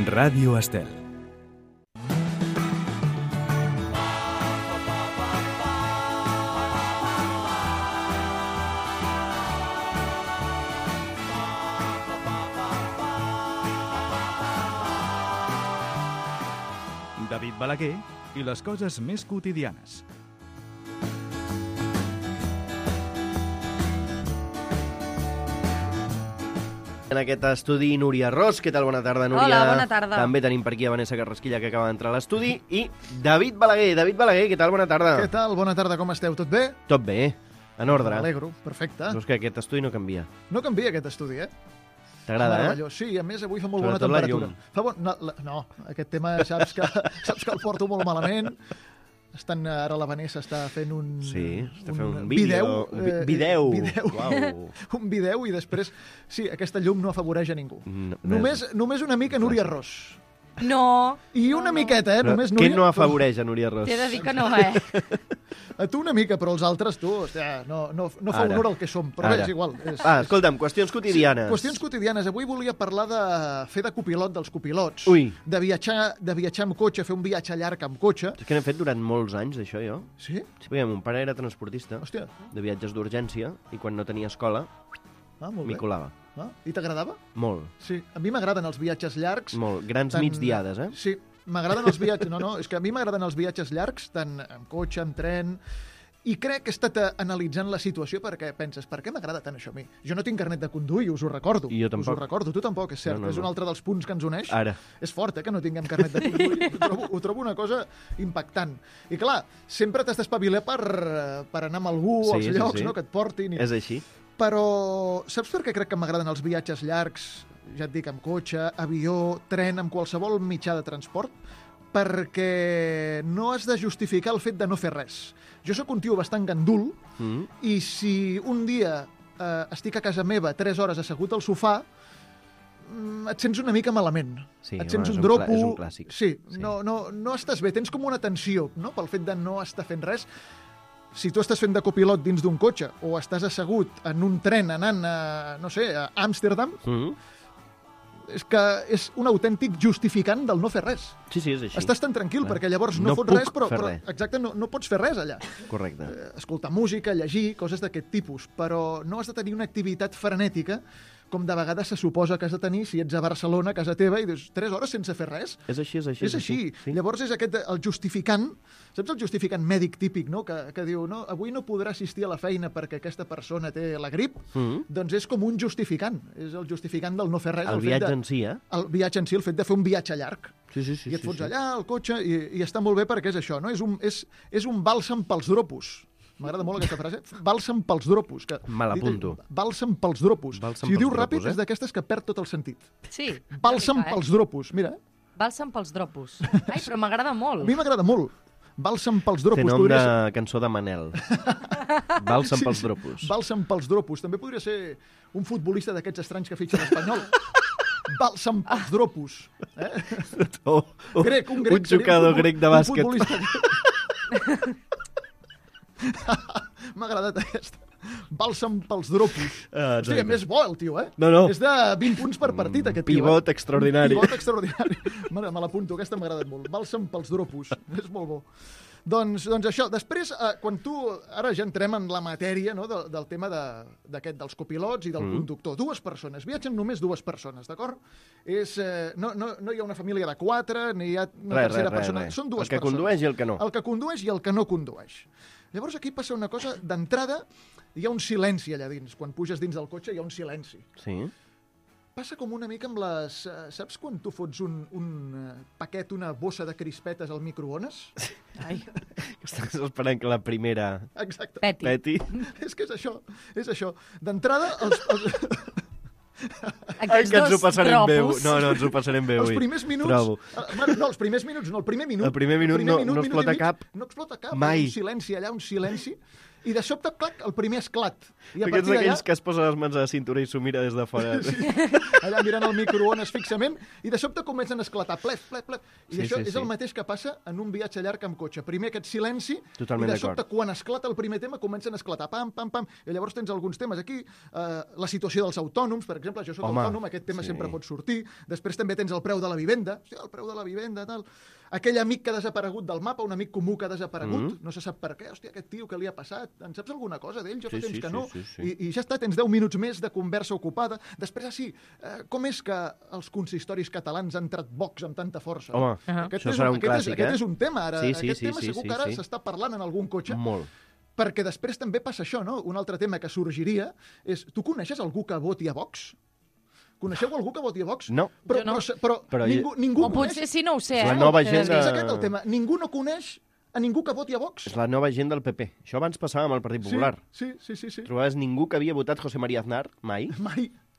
Ràdio Estel. David Balaguer i les coses més quotidianes. En aquest estudi, Núria Ros. Què tal? Bona tarda, Núria. Hola, bona tarda. També tenim per aquí a Vanessa Carrasquilla, que acaba d'entrar a l'estudi. I David Balaguer. David Balaguer, què tal? Bona tarda. Què tal? Bona tarda, com esteu? Tot bé? Tot bé, en ordre. M'alegro, perfecte. Saps que aquest estudi no canvia. No canvia aquest estudi, eh? T'agrada, Meravellós. Sí, a més avui fa molt Sobretot bona la temperatura. No, aquest tema saps que el porto molt malament. Ara la Vanessa està fent un... Sí, està fent un vídeo. Vídeo. Uau. Un vídeo i després... Sí, aquesta llum no afavoreix a ningú. No, Només una mica Núria Ros. No. I una miqueta, eh? Només Què Núria... no afavoreix a Núria Ros? T'he de dir que no, A tu una mica, però els altres, tu, hòstia, no fa Ara. honor al que som. Però Ara. bé, és igual. Escolta'm, qüestions quotidianes. Sí, qüestions quotidianes. Avui volia parlar de fer de copilot dels copilots. Ui. De viatjar amb cotxe, fer un viatge llarg amb cotxe. És que n'he fet durant molts anys, això, jo. Sí? Sí, perquè mon pare era transportista Hòstia. de viatges d'urgència i quan no tenia escola Molt m'hi bé. colava. I t'agradava? Molt, Sí. A mi m'agraden els viatges llargs. molt. Grans migdiades, eh? Sí, m'agraden els viatges... No, és que a mi m'agraden els viatges llargs, tant amb cotxe, amb tren... I crec que he estat analitzant la situació perquè penses, per què m'agrada tant això a mi? Jo no tinc carnet de conduir, us ho recordo. I jo tampoc. Us ho recordo, tu tampoc, és cert. No. És un altre dels punts que ens uneix. Ara. És fort, que no tinguem carnet de conduir. Ho trobo una cosa impactant. I clar, sempre t'has d'espavilar per anar amb algú als llocs, no?, que et portin. És així. Però saps per què crec que m'agraden els viatges llargs? Ja et dic, amb cotxe, avió, tren, amb qualsevol mitjà de transport? Perquè no has de justificar el fet de no fer res. Jo sóc un tio bastant gandul i si un dia estic a casa meva 3 hores assegut al sofà, et sents una mica malament. Sí, et sents home, un dropo. és un clàssic. Sí, Sí. no estàs bé, tens com una tensió, no?, pel fet de no estar fent res. Si tu estàs fent de copilot dins d'un cotxe o estàs assegut en un tren anant a, no sé, a Amsterdam, és que és un autèntic justificant del no fer res. Sí, és així. Estàs tan tranquil Clar. perquè llavors No no fots puc res, però fer res. exacte, no pots fer res allà. Correcte. Escoltar música, llegir, coses d'aquest tipus, però no has de tenir una activitat frenètica com de vegades se suposa que has de tenir si ets a Barcelona, a casa teva, i dius 3 hores sense fer res. És així. És així. Sí. Llavors és aquest el justificant, saps el justificant mèdic típic, no? Que diu, no, avui no podrà assistir a la feina perquè aquesta persona té la grip, doncs és com un justificant. És el justificant del no fer res. El fet viatge de- en si, eh? El viatge en si, el fet de fer un viatge llarg. Sí. I et fots allà, al cotxe, i està molt bé perquè és això, no? És un bàlsam pels dropos. M'agrada molt aquesta frase. Bàlsam pels dropos. Me l'apunto. Bàlsam pels dropos. Bàlsam Si ho dius pels ràpid, dropos, és d'aquestes que perd tot el sentit. Sí. Bàlsam pels dropos. Mira, Bàlsam pels dropos. Ai, però m'agrada a molt. mi m'agrada molt. Bàlsam pels dropos. Té nom podria de cançó de Manel. Bàlsam pels dropos. Bàlsam pels dropos. També podria ser un futbolista d'aquests estranys que fitxa l'Espanyol. Bàlsam pels dropos. Grec, un grec. Un jugador grec de bàsquet. Un futbolista. M'ha agradat aquesta. Bàlsam pels dropos. Hosti, a més bo el tio, eh? No. És de 20 punts per partit, aquest tio. Pivot extraordinari. Pivot extraordinari. Me l'apunto, aquesta m'ha agradat molt. Bàlsam pels dropos. És molt bo. Doncs això. Després, quan tu... Ara ja entrem en la matèria, no?, del tema dels copilots i del conductor. 2 persones. Viatgen només 2 persones, d'acord? No hi ha una família de 4, ni hi ha una tercera persona. Són 2 persones. El que condueix i el que no. El que condueix i el que no condueix. Llavors aquí passa una cosa, d'entrada hi ha un silenci allà dins. Quan puges dins del cotxe hi ha un silenci. Sí. Passa com una mica amb les... saps quan tu fots un paquet, una bossa de crispetes al microones? Ai, Estàs esperant que la primera Exacte. peti. peti. És que és això. D'entrada, Ai, que ens ho passarem bé. tropos. No, ens ho passarem bé els avui. primers minuts... Trobo. No, els primers minuts no, el primer minut. El primer minut no explota i mig, cap. No explota cap. Mai. Un silenci allà, un silenci. I de sobte, clac, el primer esclat. I a Aquests partir d'allà, d'aquells que es posa les mans a la cintura i s'ho mira des de fora. allà mirant el microones fixament, i de sobte comencen a esclatar, plef, plef, plef. I Sí, això sí, és el sí. mateix que passa en un viatge llarg amb cotxe. Primer aquest silenci, Totalment i de sobte, d'acord. quan esclata el primer tema, comencen a esclatar, pam, pam, pam, i llavors tens alguns temes aquí, la situació dels autònoms, per exemple, jo soc Home, autònom, aquest tema sí. sempre pot sortir, després també tens el preu de la vivenda, hòstia, el preu de la vivenda, tal... Aquell amic que ha desaparegut del mapa, un amic comú que ha desaparegut, no se sap per què, hòstia, aquest tio, què li ha passat? En saps alguna cosa d'ell? Jo fa Sí, temps sí, que sí, no. sí. I ja està, tens 10 minuts més de conversa ocupada. Després, com és que els consistoris catalans han entrat Vox amb tanta força? Home, Aquest això és serà un aquest clàssic, aquest eh? és un tema, ara. Sí, sí, Aquest sí, tema sí, segur sí, que ara sí. s'està parlant en algun cotxe, Molt. perquè després també passa això, no? Un altre tema que sorgiria és... Tu coneixes algú que voti a Vox? Coneixeu algú que voti a Vox? No. Però, Jo no. però Però ningú O coneix... potser sí, no ho sé. La eh? nova Que- gent És de- aquest el tema. Ningú no coneix a ningú que voti a Vox. És la nova gent del PP. Això abans passava amb el Partit Popular. Sí. Trobaves ningú que havia votat José María Aznar, mai,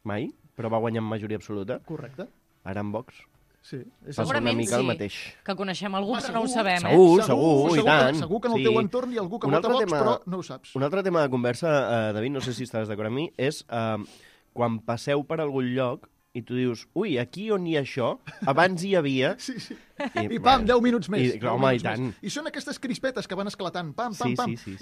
Mai. però va guanyar amb majoria absoluta. Correcte. Ara amb Vox Sí. És passa una Segurament mica el sí. mateix. Que coneixem algú, Ah, però no ho segur. sabem, Segur, i tant. Segur que en el Sí. teu entorn hi ha algú que Un vota altre Vox, tema- però no ho saps. Un altre tema de conversa, David, no sé si estàs d'acord amb mi, és quan passeu per algun lloc i tu dius, ui, aquí on hi ha això, abans hi havia... Sí. I, I pam, 10 minuts més. I, 10 home, i minuts tant. més. I són aquestes crispetes que van esclatant, pam, pam, Sí, pam. sí.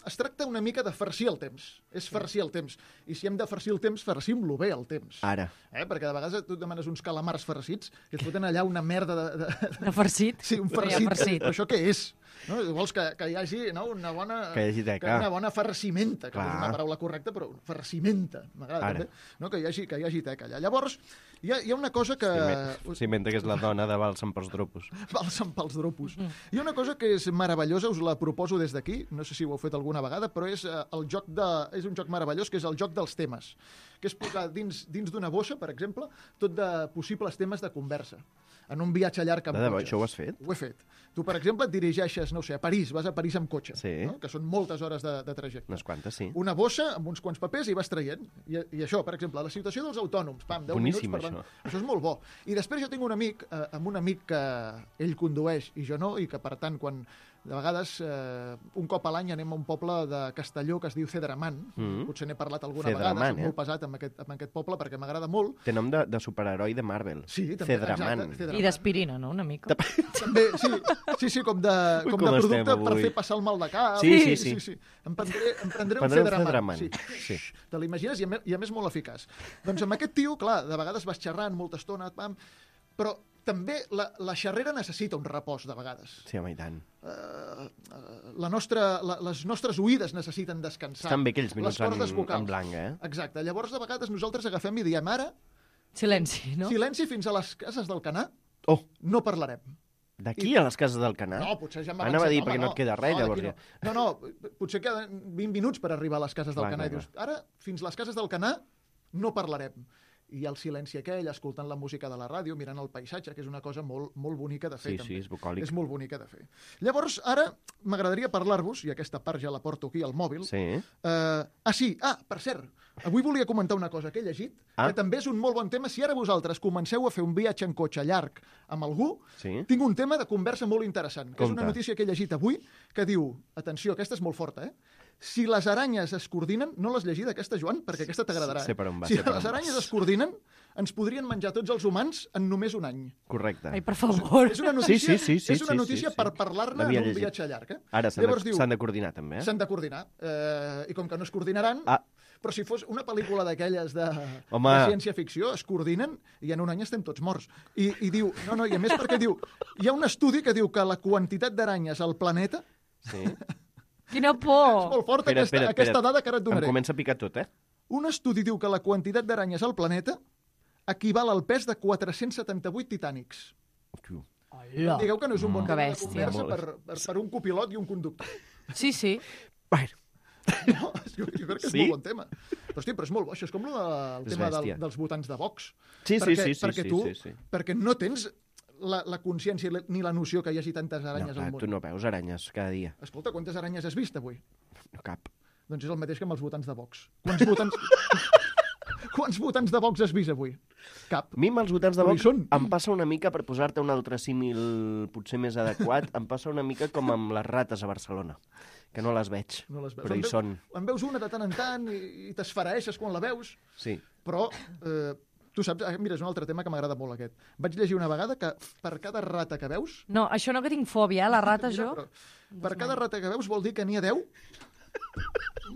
Es tracta una mica de farcir el temps. És farcir el temps. I si hem de farcir el temps, farcim-lo bé, el temps. Ara. Perquè de vegades tu et demanes uns calamars farcits que et foten allà una merda de... De farcit. Sí, un Però hi ha farcit. farcit. Però això què és? No? Vols que hi hagi una bona... Que hi hagi teca. Una bona farcimenta, que no és Clar. una paraula correcta, però farcimenta. M'agrada Ara. també. No? Que hi hagi teca allà. Llavors, hi ha una cosa que... S'inventa que és la dona de Balsam pels dropos. Balsam pels dropos. Hi ha una cosa que és meravellosa, us la proposo des d'aquí, no sé si ho heu fet alguna vegada, però és, és un joc meravellós, que és el joc dels temes, que és posar dins d'una bossa, per exemple, tot de possibles temes de conversa, en un viatge llarg amb De debò, cotxe. això ho has fet? Ho he fet. Tu, per exemple, et dirigeixes, no ho sé, a París, vas a París amb cotxe, Sí. no? Que són moltes hores de trajecte. Unes quantes, sí. Una bossa amb uns quants papers i vas traient. I això, per exemple, la situació dels autònoms. Pam, 10 Boníssim, minuts parlant. això. Això és molt bo. I després jo tinc un amic, amb un amic que ell condueix i jo no, i que, per tant, quan de vegades un cop a l'any anem a un poble de Castelló que es diu Cedramant. Potser n'he parlat alguna vegada, Cedramant, soc molt pesat amb aquest poble perquè m'agrada molt. Té nom de superheroi de Marvel. Sí, també, Cedramant. exacte, Cedramant. I d'aspirina, no?, una mica. També, sí, com de Ui, com producte estem per avui. fer passar el mal de cap. Sí. Em prendré un Prendré un Cedramant. Cedramant, sí. Te l'imagines i a més molt eficaç. Doncs amb aquest tio, clar, de vegades vas xerrant molta estona, pam, però també la xerrera necessita un repòs, de vegades. Sí, home, i tant. Les nostres oïdes necessiten descansar. Estan bé aquells minuts Les cordes vocals. en blanc, eh? Exacte. Llavors, de vegades, nosaltres agafem i diem ara, Silenci, no? silenci fins a les cases del Canà, Oh, no parlarem. d'aquí a les cases del Canà? No, potser ja m'ha Anava a dir, home, perquè no et queda res, llavors d'aquí ja. No, potser queden 20 minuts per arribar a les cases del Clar, Canà. clar, I dius, ara, fins les cases del Canà, no parlarem. I hi ha el silenci aquell, escoltant la música de la ràdio, mirant el paisatge, que és una cosa molt, molt bonica de fer, Sí, també. sí, és bucòlic. És molt bonica de fer. Llavors, ara, m'agradaria parlar-vos, i aquesta part ja la porto aquí al mòbil. Sí. Per cert, avui volia comentar una cosa que he llegit, Ah. que també és un molt bon tema. Si ara vosaltres comenceu a fer un viatge en cotxe llarg amb algú, Sí. tinc un tema de conversa molt interessant, que és Compte. una notícia que he llegit avui, que diu, atenció, aquesta és molt forta, si les aranyes es coordinen, no l'has llegida aquesta, Joan? Perquè aquesta t'agradarà. Sé per on va, Si sé per les on aranyes vas. es coordinen, ens podrien menjar tots els humans en només un any. Correcte. Ai, per favor. És una notícia, Sí, és una notícia sí. per parlar-ne en L'havia un llegit. viatge llarg. Ara Llavors diu, s'han de coordinar, també, eh? s'han de coordinar. I com que no es coordinaran, però si fos una pel·lícula d'aquelles de ciència-ficció, es coordinen i en un any estem tots morts. I diu, i a més perquè diu, hi ha un estudi que diu que la quantitat d'aranyes al planeta Sí. Quina és por! molt forta, Espera, aquesta dada que ara et Em donaré. comença a picar tot, eh? Un estudi diu que la quantitat d'aranyes al planeta equival al pes de 478 titànics. Tio. Hola. Digueu que no és un bon Que tema de bèstia. conversa per un copilot i un conductor. Sí, sí. Bueno, No, jo crec que és Sí? molt bon tema. Però, hosti, però és molt bo, això és com el És tema bèstia. dels votants de Vox. Sí, perquè tu, sí. perquè no tens la consciència ni la noció que hi hagi tantes aranyes No, al clar, món. tu no veus aranyes cada dia. Escolta, quantes aranyes has vist avui? No cap. Doncs és el mateix que amb els votants de Vox. Quants votants de Vox has vist avui? Cap. A mi amb els votants de Però hi Vox són. em passa una mica, per posar-te un altre símil potser més adequat, em passa una mica com amb les rates a Barcelona. que no les veig, No les veus. però hi són. En veus una de tant en tant i t'esfereixes quan la veus, Sí. però tu saps, mira, és un altre tema que m'agrada molt aquest. Vaig llegir una vegada que per cada rata que veus... No, això no que tinc fòbia, la rata Mira, jo. però per cada rata que veus vol dir que n'hi ha 10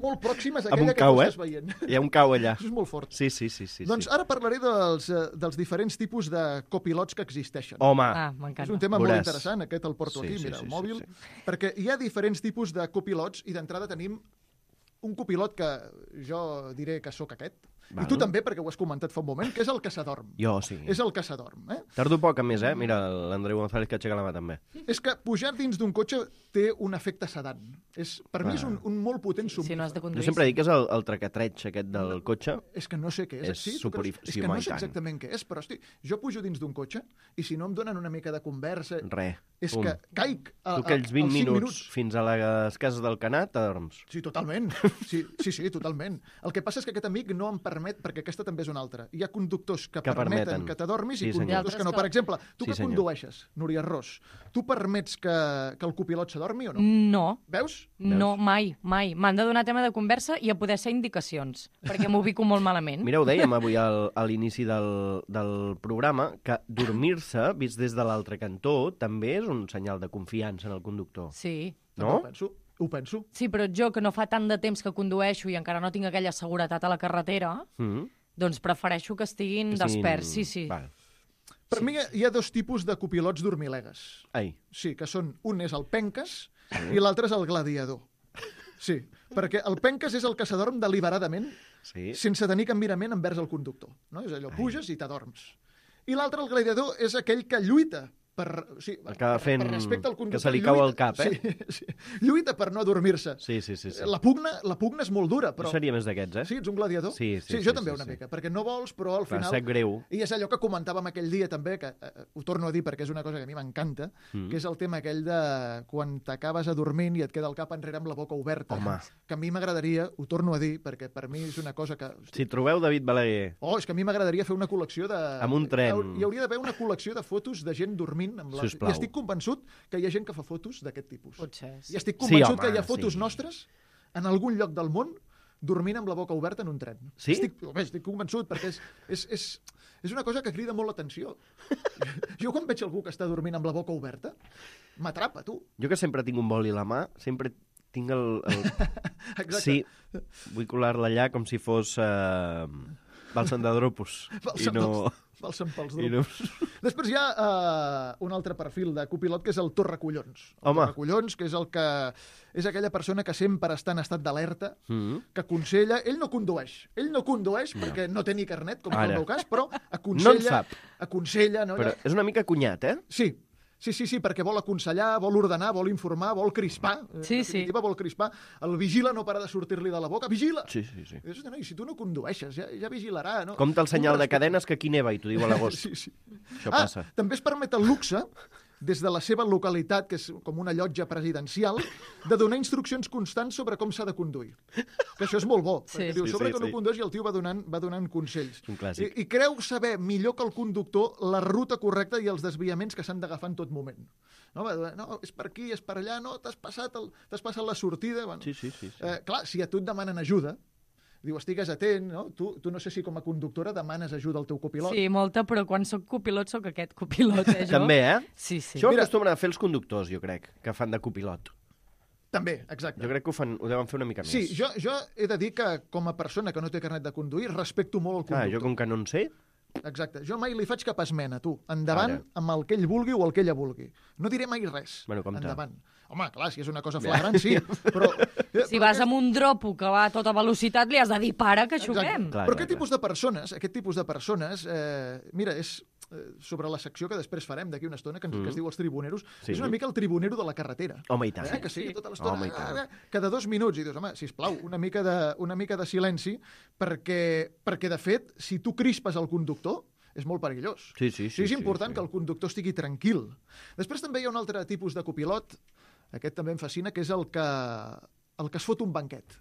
molt pròximes a Amb un aquella que cau, tu eh? estàs veient. Hi ha un cau allà. Això és molt fort. Sí, sí, sí. sí, Doncs sí. ara parlaré dels diferents tipus de copilots que existeixen. Home, Ah, És m'encanta. un tema molt Veuràs. interessant, aquest el porto Sí, aquí, sí, mira, sí, el sí, mòbil, sí. perquè hi ha diferents tipus de copilots i d'entrada tenim un copilot que jo diré que sóc aquest, Val. i tu també, perquè ho has comentat fa un moment, que és el que s'adorm. jo sí. És el que s'adorm, eh? Tardo poc a més, Mira, l'Andreu González que aixeca la mà també. És que pujar dins d'un cotxe té un efecte sedant. Per mi és un molt potent Si somnífer. no has de Jo conduir. sempre dic que és el traquetreig aquest del cotxe. És que no sé què és. És Sí, tu superi- creus? És sí, que home, no i sé tant. exactament què és, però hosti, jo pujo dins d'un cotxe i si no em donen una mica de conversa... Res. És Pum. que caic Tu aquells 20 als 5 minuts fins a les cases del Canat t'adorms. Sí, totalment. Sí, totalment. El que passa és que aquest amic no em permet, perquè aquesta també és una altra. Hi ha conductors que permeten permeten. que t'adormis Sí, i senyor. conductors que no. Per exemple, tu Sí, que senyor. condueixes, Núria Ros, tu permets que el copilot s'adormi o no? No, Veus? no, mai, mai. M'han de donar tema de conversa i a poder ser indicacions, perquè m'ubico molt malament. Mira, ho dèiem avui a l'inici del programa, que dormir-se, vist des de l'altre cantó, també és un senyal de confiança en el conductor. Sí. No? Ho penso. Sí, però jo, que no fa tant de temps que condueixo i encara no tinc aquella seguretat a la carretera, Mm. doncs prefereixo que estiguin desperts. Sí, sí. Val. Per mi hi ha dos tipus de copilots dormilegues. Ai, Sí, que són... Un és el penques i l'altre és el gladiador. Sí, perquè el penques és el que s'adorm deliberadament sí. sense tenir cap mirament envers el conductor. No? És allò, puges i t'adorms. I l'altre, el gladiador, és aquell que lluita per, sí, Acaba fent per respecte al conductor. que se li cau el cap, Sí, lluita per no adormir-se. Sí. La pugna és molt dura, però... Jo seria més d'aquests, Sí, ets un gladiador? Sí, jo també sí, una sí. mica, perquè no vols, però al Clar, final... sap greu. I és allò que comentàvem aquell dia també, que ho torno a dir perquè és una cosa que a mi m'encanta, que és el tema aquell de quan t'acabes adormint i et queda el cap enrere amb la boca oberta. Home. Que a mi m'agradaria, ho torno a dir, perquè per mi és una cosa que... Si trobeu David Balaguer Oh, és que a mi m'agradaria fer una col·lecció de... Amb un tren. Hi hauria d'haver una col·lecció de fotos de gent dormint. Sisplau. I estic convençut que hi ha gent que fa fotos d'aquest tipus. Potser. I estic Sí, convençut home, que hi ha fotos sí. nostres en algun lloc del món dormint amb la boca oberta en un tren. Sí? Estic convençut, perquè és una cosa que crida molt l'atenció. Jo quan veig algú que està dormint amb la boca oberta, m'atrapa, tu. Jo que sempre tinc un boli a la mà, sempre tinc el... Exacte. Sí, vull colar-la allà com si fos Balsam de Dropus. Balsam pels I drups. no... Després hi ha un altre perfil de copilot, que és el torracollons. El Home. torracollons, que és el que és aquella persona que sempre està en estat d'alerta, que aconsella... Ell no condueix perquè no té ni carnet, com és Ara. el meu cas, però No en sap. aconsella... No? Però és una mica cunyat, eh? Sí, perquè vol aconsellar, vol ordenar, vol informar, vol crispar. Sí, En definitiva, vol crispar. El vigila no para de sortir-li de la boca. Vigila! Sí. I dius, no, i si tu no condueixes, ja vigilarà, no? Compte el senyal de Un respecte. cadenes que aquí neva i t'ho diu a l'agost. Sí. Això passa. També es permet el luxe, des de la seva localitat, que és com una llotja presidencial, de donar instruccions constants sobre com s'ha de conduir. Que això és molt bo, perquè diu, sobre que no condueix i el tio va donant consells. Un clàssic. I creu saber millor que el conductor la ruta correcta i els desviaments que s'han d'agafar en tot moment. No, és per aquí, és per allà, no, t'has passat la sortida. Bueno, Sí. clar, si a tu et demanen ajuda, diu, estigues atent, no? Tu no sé si com a conductora demanes ajuda al teu copilot. Sí, molta, però quan sóc copilot sóc aquest copilot, jo. També, eh? Sí. Això ho Mira. acostumen a fer els conductors, jo crec, que fan de copilot. També, exacte. Jo crec que ho deuen fer una mica més. Sí, jo he de dir que com a persona que no té carnet de conduir, respecto molt el Clar, conductor. jo com que no en sé... Exacte. Jo mai li faig cap esmena, tu. Endavant Ara. amb el que ell vulgui o el que ella vulgui. No diré mai res. Bueno, compte. Endavant. Home, clar, si és una cosa flagrant, sí. Però, Si vas amb un dropo que va a tota velocitat, li has de dir para, que xuguem. Clar, Però clar, aquest tipus de persones, mira, és sobre la secció que després farem d'aquí una estona, que es diu els tribuneros, Sí. és una mica el tribunero de la carretera. Home, i tant. Que sí, tota l'estona, Home, i tant. cada 2 minuts, i dius, home, sisplau, una mica de silenci, perquè de fet, si tu crispes el conductor, és molt perillós. Sí, és important que el conductor estigui tranquil. Després també hi ha un altre tipus de copilot, aquest també em fascina, que és el que es fot un banquet.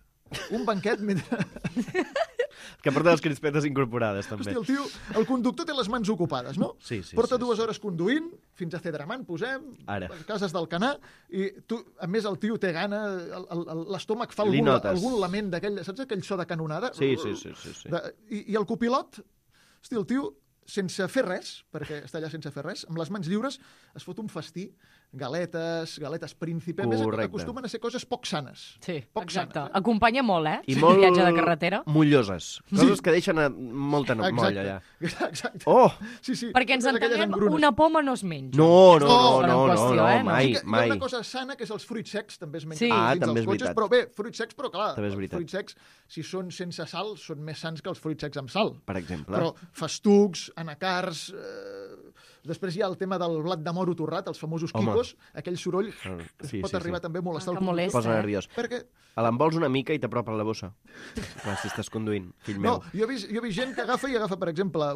Un banquet mentre... Que porta les crispetes incorporades, també. Hòstia, el conductor té les mans ocupades, no? Sí. Porta 2 hores conduint, fins a Cedramant, posem, Ara. a cases d'Alcanar, i tu, a més, el tio té gana, l'estómac fa Li notes. algun lament d'aquell, saps aquell so de canonada? Sí. I el copilot, hòstia, el tio, sense fer res, perquè està allà sense fer res, amb les mans lliures es fot un festí, galetes príncipe, a més Correcte. acostumen a ser coses poc sanes. Sí, Poc exacte. sanes, Acompanya molt, I Sí, molt viatge de carretera. molloses. Coses que deixen molta molla, allà. Exacte. Oh! Sí. Perquè ens Totes aquelles entenguem, engrunes. una poma no es menja. No, en qüestió, no? mai, Sí que Hi ha mai. una cosa sana, que és els fruits secs, també es mengen Sí. Ah, dins també dels és cotxes, veritat. però bé, fruits secs, però clar, També és els veritat. fruits secs, si són sense sal, són més sans que els fruits secs amb sal. Per exemple. Però festucs, anacars... Després hi ha el tema del blat de moro torrat, els famosos Home. quicos, aquell soroll Sí, pot arribar també a molestar Que el conductor. molesta. Posa nerviós. Perquè, L'envols una mica i t'apropa a la bossa. Clar, si estàs conduint, fill meu. no, jo he vist gent que agafa, per exemple,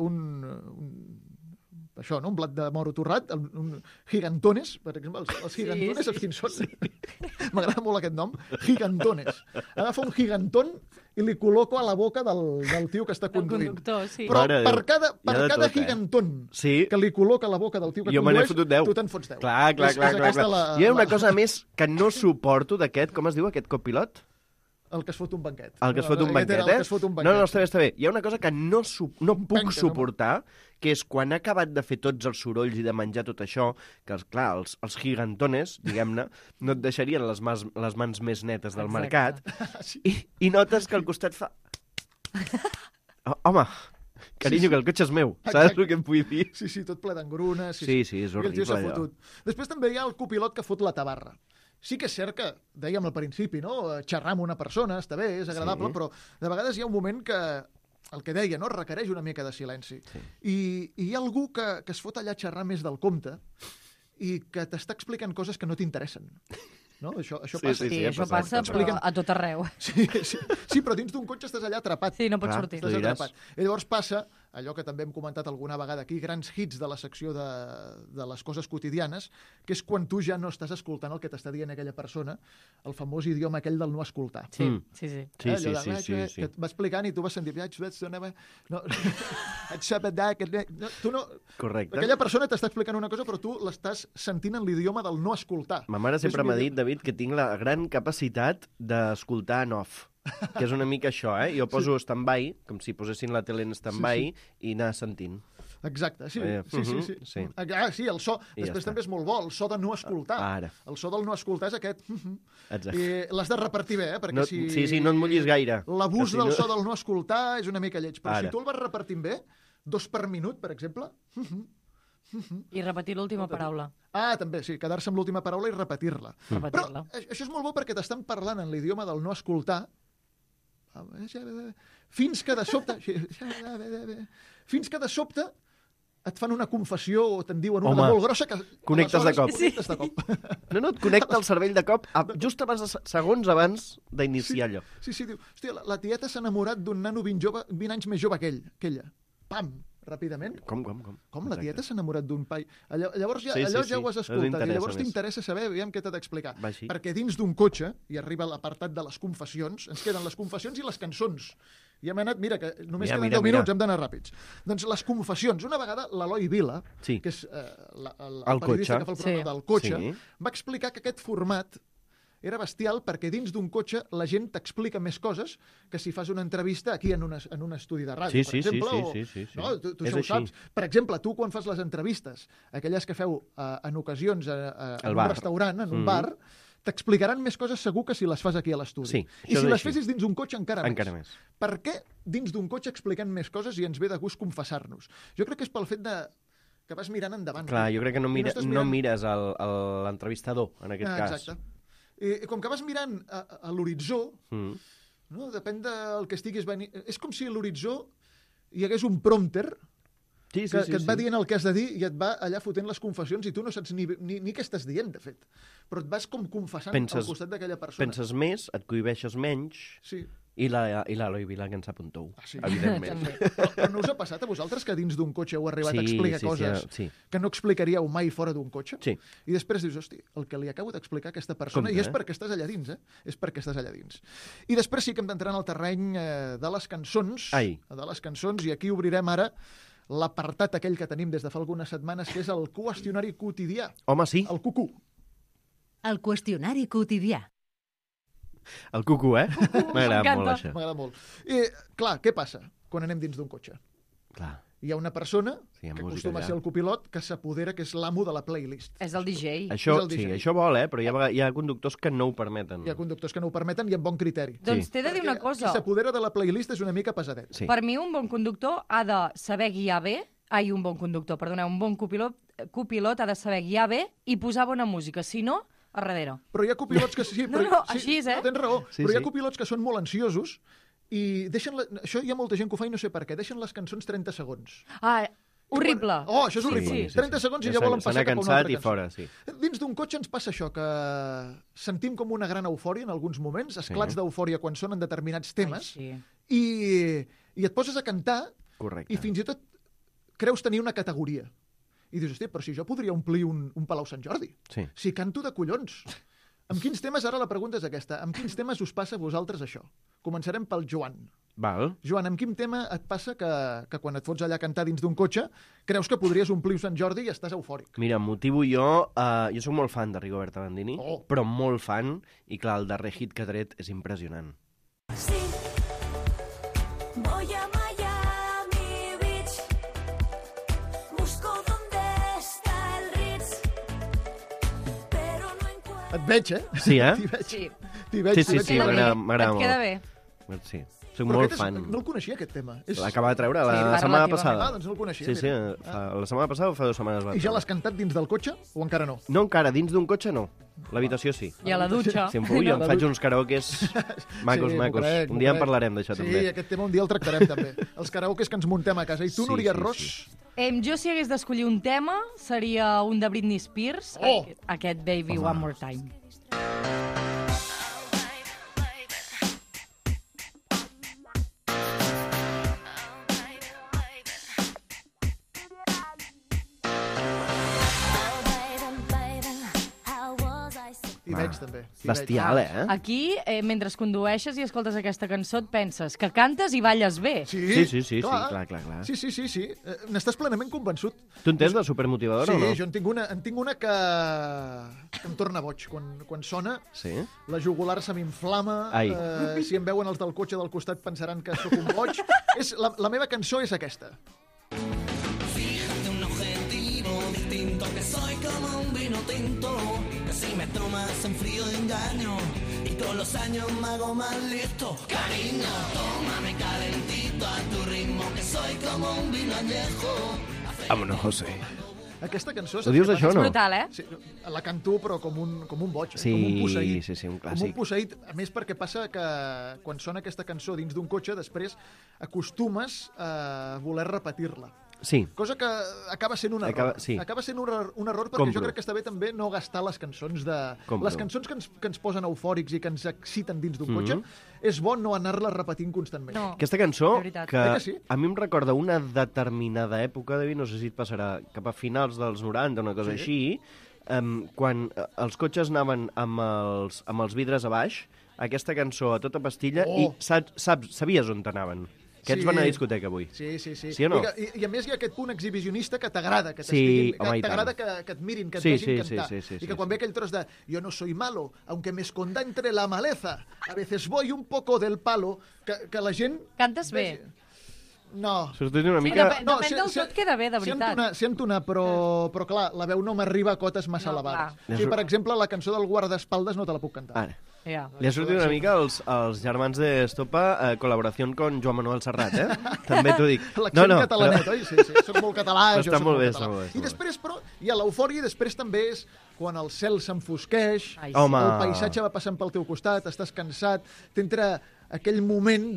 això, no? Un blat de moro torrat, un gigantones, per exemple, els gigantones, els quins són? M'agrada molt aquest nom, gigantones. Agafa un gigantón i li col·loco a la boca del tio que està Del conduint. conductor, sí. Però Mare de per Déu. cada, Hi ha de cada tot, gigantón Sí. que li col·loca a la boca del tio que Jo me n'he condueix, fotut 10. tu te'n fots 10. Clar. És aquesta la- Jo hi ha una cosa més que no suporto d'aquest, com es diu aquest copilot? El que es fot un banquet. El que es fot un Aquest banquet, era el que es fot un banquet. No, està bé. Hi ha una cosa que no puc penques, home. suportar, que és quan ha acabat de fer tots els sorolls i de menjar tot això, que, clar, els gigantones, diguem-ne, no et deixarien les mans més netes del Exacte. mercat, Sí. i notes que al costat fa... Oh, home, carinyo, que el cotxe és meu. Saps Exacte. el que em vull dir? Sí, tot ple d'engrunes. Sí, és I el tio horrible, s'ha allò. fotut. Després també hi ha el copilot que fot la tabarra. Sí que és cert que, dèiem al principi, no? Xerrar amb una persona està bé, és agradable, Sí. però de vegades hi ha un moment que, el que deia, no? Requereix una mica de silenci. Sí. I hi ha algú que es fot allà a xerrar més del compte i que t'està explicant coses que no t'interessen. No? Això Sí, passa. Sí, ha això passat, passa, també. però a tot arreu. Sí, però dins d'un cotxe estàs allà atrapat. Sí, no pots Clar. sortir. Tu Estàs diràs. atrapat. I llavors passa allò que també hem comentat alguna vegada aquí, grans hits de la secció de les coses quotidianes, que és quan tu ja no estàs escoltant el que t'està dient aquella persona, el famós idioma aquell del no escoltar. Sí, Mm. sí. Sí, Allò sí, de, sí. que et va explicant i tu vas sentir... No, tu no... Correcte. Aquella persona t'està explicant una cosa, però tu l'estàs sentint en l'idioma del no escoltar. Ma mare sempre És m'ha millor. dit, David, que tinc la gran capacitat d'escoltar en off. Que és una mica això, eh? Jo poso stand-by, com si posessin la tele en stand-by, i anar sentint. Exacte, sí. sí. Sí, el so. I ja Després està. també és molt bo, el so de no escoltar. Ara. El so del no escoltar és aquest. Exacte. I l'has de repartir bé, perquè No, sí, no et mullis gaire. L'abús Que si del no- so del no escoltar és una mica lleig. Però Ara. si tu el vas repartint bé, 2 per minut, per exemple... I repetir l'última paraula. Ah, també, sí, quedar-se amb l'última paraula i repetir-la. Repetir-la. Però això és molt bo perquè t'estan parlant en l'idioma del no escoltar fins que de sobte et fan una confessió o te'n diuen una Home, de molt grossa que connectes de cop. connectes de cop. No, et connecta el cervell de cop just abans, segons abans d'iniciar allò. Sí, diu, hòstia, la tieta s'ha enamorat d'un nano 20 anys més jove que aquella. Pam, ràpidament. Com? Com la Exacte. tieta s'ha enamorat d'un pai? Llavors Sí, ja ho has escoltat. I llavors més. t'interessa saber, aviam què t'ha d'explicar. Va així. Perquè dins d'un cotxe, i arriba l'apartat de les confessions, ens queden les confessions i les cançons. I hem anat, mira, que només queden 10 minuts, hem d'anar ràpids. Doncs les confessions. Una vegada l'Eloi Vila, Sí. que és el El periodista cotxe. que fa el programa Sí. del cotxe, Sí. va explicar que aquest format era bestial perquè dins d'un cotxe la gent t'explica més coses que si fas una entrevista aquí en un estudi de ràdio, Sí, per exemple. sí. No? Tu És això ho així. saps. Per exemple, tu quan fas les entrevistes, aquelles que feu en ocasions en un bar. restaurant, en un bar, t'explicaran més coses segur que si les fas aquí a l'estudi. Sí, I això si és les així. fessis dins d'un cotxe encara més. Encara més. Per què dins d'un cotxe expliquem més coses i ens ve de gust confessar-nos? Jo crec que és pel fet que vas mirant endavant. Clar, jo crec que no I estàs no mirant- mires l'entrevistador, en aquest cas. Exacte. I com que vas mirant a l'horitzó, Mm. no? Depèn del que estiguis venint... És com si a l'horitzó hi hagués un prompter Sí, que et va dient el que has de dir i et va allà fotent les confessions i tu no saps ni què estàs dient, de fet. Però et vas com confessant al costat d'aquella persona. Penses més, et cohibeixes menys, Sí. I l'Eloi Vila, que ens apunteu, sí. evidentment. També. Però no us ha passat a vosaltres que dins d'un cotxe heu arribat a explicar coses sí. que no explicaríeu mai fora d'un cotxe? Sí. I després dius, hosti, el que li acabo d'explicar a aquesta persona, Compte, i és perquè estàs allà dins, És perquè estàs allà dins. I després sí que hem d'entrar en el terreny de les cançons. Ai. De les cançons, i aquí obrirem ara l'apartat aquell que tenim des de fa algunes setmanes, que és el qüestionari quotidià. Home, sí, El cucú. El qüestionari quotidià. el cucú, M'agrada m'encanta. molt, això. M'agrada molt. I, clar, què passa quan anem dins d'un cotxe? Clar. Hi ha una persona Sí, hi ha que música acostuma a allà. ser el copilot que s'apodera, que és l'amo de la playlist. És el DJ. Això, És el sí, DJ. això vol, però hi ha conductors que no ho permeten. Hi ha conductors que no ho permeten i amb bon criteri. Doncs t'he de dir una Perquè cosa. Qui s'apodera de la playlist és una mica pesadet. Sí. Per mi, un bon conductor ha de saber guiar bé. Un bon conductor, perdoneu, un bon copilot ha de saber guiar bé i posar bona música. Si no, a darrere. Però hi ha copilots que sí... No, Però, no, així és, No, tens raó. Sí, però hi ha sí. copilots que són molt ansiosos i deixen... Això hi ha molta gent que ho fa i no sé per què. Deixen les cançons 30 segons. Horrible. Oh, això és horrible. Sí, sí, 30 sí. segons i Ja ja volen se n'ha passar cap a una cansat altra i cançó. fora, sí. Dins d'un cotxe ens passa això, que sentim com una gran eufòria en alguns moments, esclats d'eufòria quan sonen determinats temes, Sí. i et poses a cantar Correcte. i fins i tot creus tenir una categoria. I dius, hosti, però si jo podria omplir un Palau Sant Jordi. Sí. Si canto de collons. Amb quins temes, ara la pregunta és aquesta, amb quins temes us passa a vosaltres això? Començarem pel Joan. Val. Joan, amb quin tema et passa que quan et fots allà a cantar dins d'un cotxe creus que podries omplir Sant Jordi i estàs eufòric? Mira, em motivo jo sóc molt fan de Rigoberta Bandini, Oh. però molt fan, i clar, el darrer hit que ha tret és impressionant. Sí, voy a Miami Beach. Busco dónde está el Ritz, pero no encuentro. Et veig, Sí, T'hi veig. Sí. T'hi veig, Sí, t'hi veig. sí, Queda bé. m'agrada Et queda molt. bé. Sí, soc Però molt aquest fan. No el coneixia, aquest tema. L'acaba de treure la Sí, setmana relativament. passada. Doncs no el coneixia. Sí, sí, mira. la setmana passada o fa 2 setmanes va I ja treure. l'has cantat dins del cotxe o encara no? No encara, dins d'un cotxe no. L'habitació sí. I a la dutxa. Si em puc, jo em faig uns karaokes macos, Sí, macos. m'ho crec, Un dia m'ho en crec. parlarem d'això, Sí, també. aquest tema un dia el tractarem també. Els karaokes que ens muntem a casa. I tu, Sí, Núria sí, Ros? sí. Jo, si hagués d'escollir un tema, seria un de Britney Spears, Oh! aquest Baby One More Time. T'hi veig, també. t'hi Bestial, veig. Aquí, mentre condueixes i escoltes aquesta cançó, et penses que cantes i balles bé. Sí, clar. Sí. N'estàs plenament convençut. Tu en tens de supermotivadora Sí, o no? jo en tinc una que em torna boig. Quan sona, Sí? la jugular se m'inflama. Ai. Si em veuen els del cotxe del costat pensaran que sóc un boig. La meva cançó és aquesta. Un objetivo distinto, que soy como un vino tinto, que si me tomas en frío engaño y con los años me hago más listo. Cariño, tómame calentito a tu ritmo, que soy como un vino añejo. Vámonos, José. Aquesta cançó... Ho dius això o És no? brutal, Sí, la canto, però com un boig, Sí, com un posseït. sí, un Com un clàssic. posseït, a més perquè passa que quan sona aquesta cançó dins d'un cotxe, després acostumes a voler repetir-la. Sí, Cosa que acaba sent un error. sí. Acaba sent un error perquè Compro. jo crec que està bé també no gastar les cançons Compro. les cançons que ens posen eufòrics i que ens exciten dins d'un Mhm. cotxe, és bo no anar-les repetint constantment. No. aquesta cançó, De veritat. Que sí? a mi em recorda una determinada època, David, no sé si et passarà cap a finals dels 90, una cosa així, quan els cotxes anaven amb els vidres a baix, aquesta cançó a tota pastilla, Oh. i sabies on t'anaven. Aquests Sí. van a discoteca avui. Sí. Sí o no? I a més hi ha aquest punt exhibicionista que t'agrada, que Sí, t'estiguin, home, i que t'agrada tant. que et mirin, que et Sí, vegin sí, cantar. sí, I que quan ve aquell tros de yo no soy malo, aunque me esconda entre la maleza, a veces voy un poco del palo, que la gent... Cantes bé. No. Això és una Sí, mica... depèn del tot, queda bé, de veritat. Sento una, però clar, la veu no m'arriba a cotes massa No, elevades. clar. Sí, per exemple, la cançó del guardaespaldes no te la puc cantar. Ara. Ja. Li ha sortit una mica els germans de Estopa, col·laboració con Joan Manuel Serrat, També t'ho dic. L'accent catalanet, oi? Sí, soc molt català, Però jo està soc molt bé, català. està molt bé. I després, però, hi ha l'eufòria i després també és quan el cel s'enfosqueix, Ai, el sí. Home. paisatge va passant pel teu costat, estàs cansat, t'entra aquell moment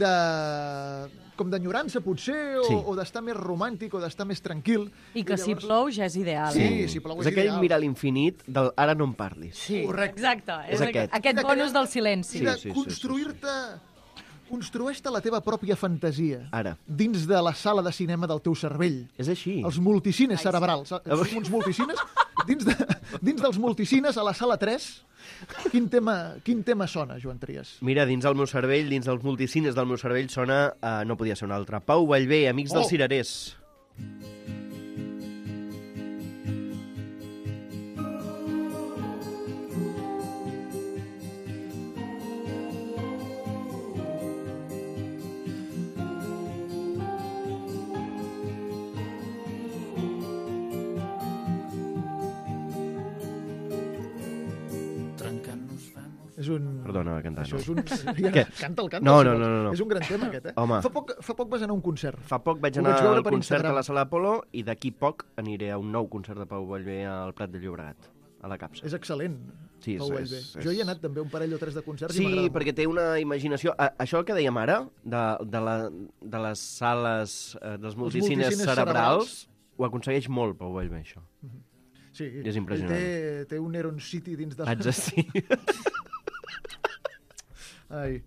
com d'enyorança, potser, Sí. o d'estar més romàntic, o d'estar més tranquil. I que si plou ja és ideal. Sí, si plou És és aquell ideal. mirar a l'infinit del ara no em parlis. Sí, Correcte. exacte. És aquest. Aquest bonus del silenci. I de Sí, sí, sí, construir-te Construeix-te la teva pròpia fantasia. Ara. Dins de la sala de cinema del teu cervell. És així. Els multicines cerebrals. Som uns multicines. Dins dels multicines, a la sala 3, quin tema sona, Joan Trias? Mira, dins del meu cervell, dins dels multicines del meu cervell sona, no podia ser un altre, Pau Vallvé, Amics dels Cirerers. És un... Perdona, va cantar, Això no. és un... Què? Canta. No. Si vols. És un gran tema, aquest, eh? Home. Fa poc vas anar a un concert. Fa poc vaig Ho anar vaig veure al per concert Instagram. a la Sala Apolo i d'aquí poc aniré a un nou concert de Pau Vallvé al Prat de Llobregat, a la Capsa. És excel·lent, Sí, Pau Vallvé. Jo hi he anat també un parell o tres de concerts i Sí, m'agrada perquè té una imaginació... Això que dèiem ara, de les sales dels multicines multicines cerebrals, ho aconsegueix molt Pau Vallvé, això. molt. Sí, és impressionant. Té un Neron City dins de... Haig de sí. Ai.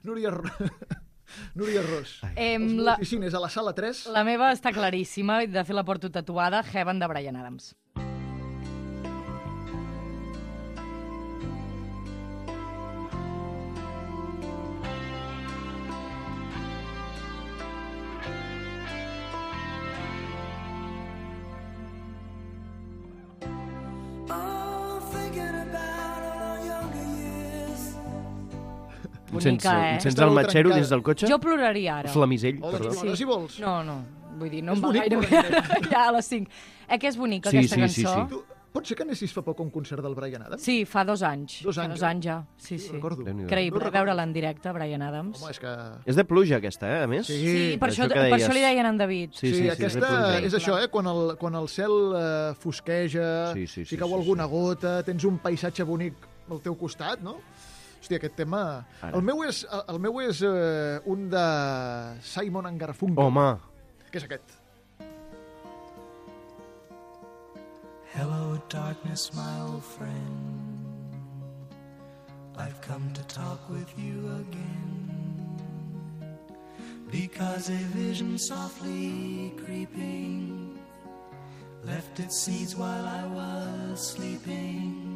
Núria Ros. Em, Els la- multicines a la sala 3. La meva està claríssima, i de fet la porto tatuada, Heaven de Bryan Adams. Oh, thinking about our younger years. Bonica, eh? Sents Està el molt matxero trencada. dins del cotxe? Jo ploraria ara. Flamisell, Oh, doncs perdó. plora, si vols. No, vull dir, no És em va bonic, gaire bé ara, ja a les 5. Que és bonica, Sí, aquesta sí, sí, cançó? sí. Tu, pot ser que anessis fa poc a un concert del Bryan Adams? Sí, fa 2 anys. 2 Fa anys, 2 eh? anys ja. Sí, sí. Recordo. Déu-n'hi-do. Creïble veure-la en directe, Bryan Adams. Home, és que... És de pluja, aquesta, a més? Sí, per això això, que per deies. això li deien en David. Sí, aquesta és és això, quan el cel fosqueja, Sí, sí, si sí, cau sí, alguna gota, tens un paisatge bonic al teu costat, no? Hòstia, aquest tema... Ara. El meu és un de Simon & Garfunkel, Home, que és aquest. Hello, darkness, my old friend. I've come to talk with you again. Because a vision softly creeping left its seeds while I was sleeping.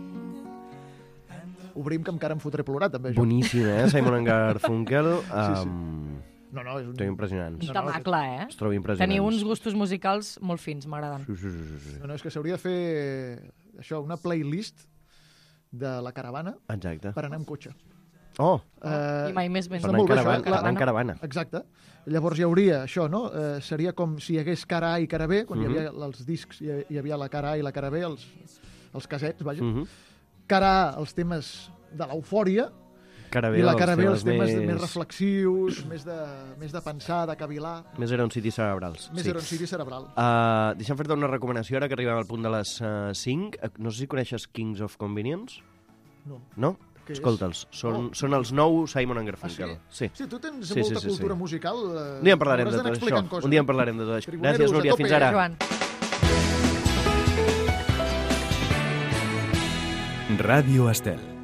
Obrim, que encara em fotré plorar, també, jo. boníssim, Simon & Garfunkel. sí. No, és un... Són impressionants. Un temacle, eh? Es troba impressionants. Teniu uns gustos musicals molt fins, m'agraden. Sí. No, és que s'hauria de fer això, una playlist de la caravana Exacte. per anar amb cotxe. Oh, I mai més ben... per molt anar bé, en això, caravana. En caravana. Exacte. Llavors hi hauria això, no? Seria com si hi hagués cara A i cara B, quan hi havia els discs, hi havia la cara A i la cara B, els casets, vaja. Cara A, els temes de l'eufòria, Cara i la cara B, els els temes més reflexius, més de pensar, de cavilar, Més Eron City cerebrals. més eroncidi cerebral. Deixa'm fer-te una recomanació ara que arribem al punt de les 5. No sé si coneixes Kings of Convenience. No. No? Què és? Escolta'ls. Són els nous Simon & Garfunkel. Sí, tu tens Sí, molta sí, cultura musical. Un dia en parlarem de hauràs d'anar tot explicant això. coses. Un dia en parlarem de tot això. Tribuneros, Gràcies, Núria. a tope, Fins ara. Joan. Ràdio Estel.